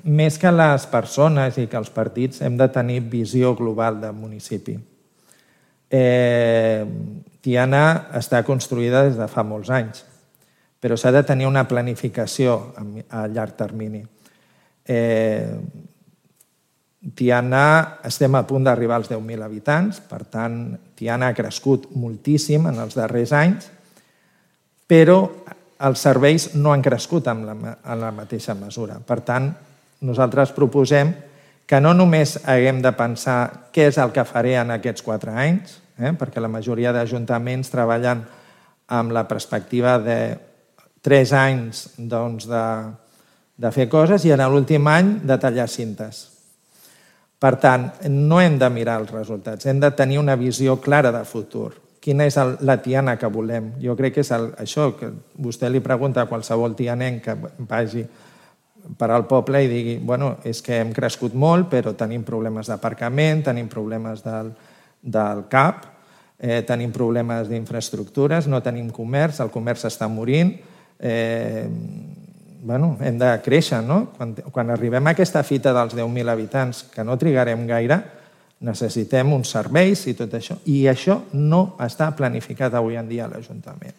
Més que les persones i que els partits hem de tenir visió global del municipi. Tiana està construïda des de fa molts anys, però s'ha de tenir una planificació a llarg termini. Tiana estem a punt d'arribar als 10.000 habitants, per tant, Tiana ha crescut moltíssim en els darrers anys, però els serveis no han crescut en la mateixa mesura. Per tant, nosaltres proposem que no només haguem de pensar què és el que faré en aquests 4 anys, perquè la majoria d'ajuntaments treballen amb la perspectiva de 3 anys de fer coses i en l'últim any de tallar cintes. Per tant, no hem de mirar els resultats, hem de tenir una visió clara de futur. Quina és la Tiana que volem? Jo crec que és això, que vostè li pregunta a qualsevol tianenc que vagi per al poble i digui, bueno, és que hem crescut molt, però tenim problemes d'aparcament, tenim problemes del CAP, tenim problemes d'infraestructures, no tenim comerç, el comerç està morint, hem de créixer, no? Quan arribem a aquesta fita dels 10.000 habitants, que no trigarem gaire, necessitem uns serveis i tot això, i això no està planificat avui en dia a l'Ajuntament.